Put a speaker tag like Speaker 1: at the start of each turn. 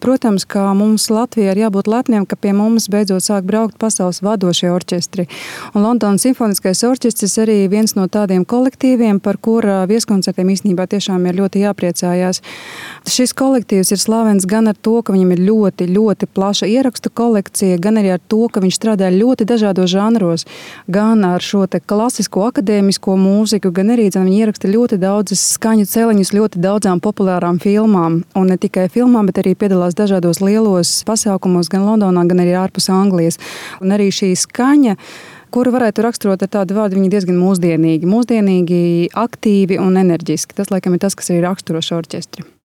Speaker 1: protams, ka mums Latvijā ir jābūt lepniem, ka pie mums beidzot sāk braukt pasaules vadošie orķestri. Un Londonas simfoniskais orķestris arī viens no tādiem kolektīviem, par kura vieskoncertiem īstenībā tiešām ir ļoti jāpriecājās. Šis kolektīvs ir slavens gan ar to, ka viņam ir ļoti, ļoti plaša ierakstu kolekcija, gan arī ar to, ka viņš strādā ļoti dažādos žanros, gan ar šo te klasisko akadēmisko mūziku, gan arī viņi ieraksta ļoti daudzas skaņu celiņus ļoti daudzām populārām filmām. Un ne tikai filmām, bet arī piedalās dažādos lielos pasākumos gan Londonā, gan arī ārpus Anglijas. Un arī šī skaņa, kuru varētu raksturot ar tādu vārdu, viņi diezgan mūsdienīgi, aktīvi un enerģiski. Tas, laikam, ir tas, kas arī raksturo šo orķestri.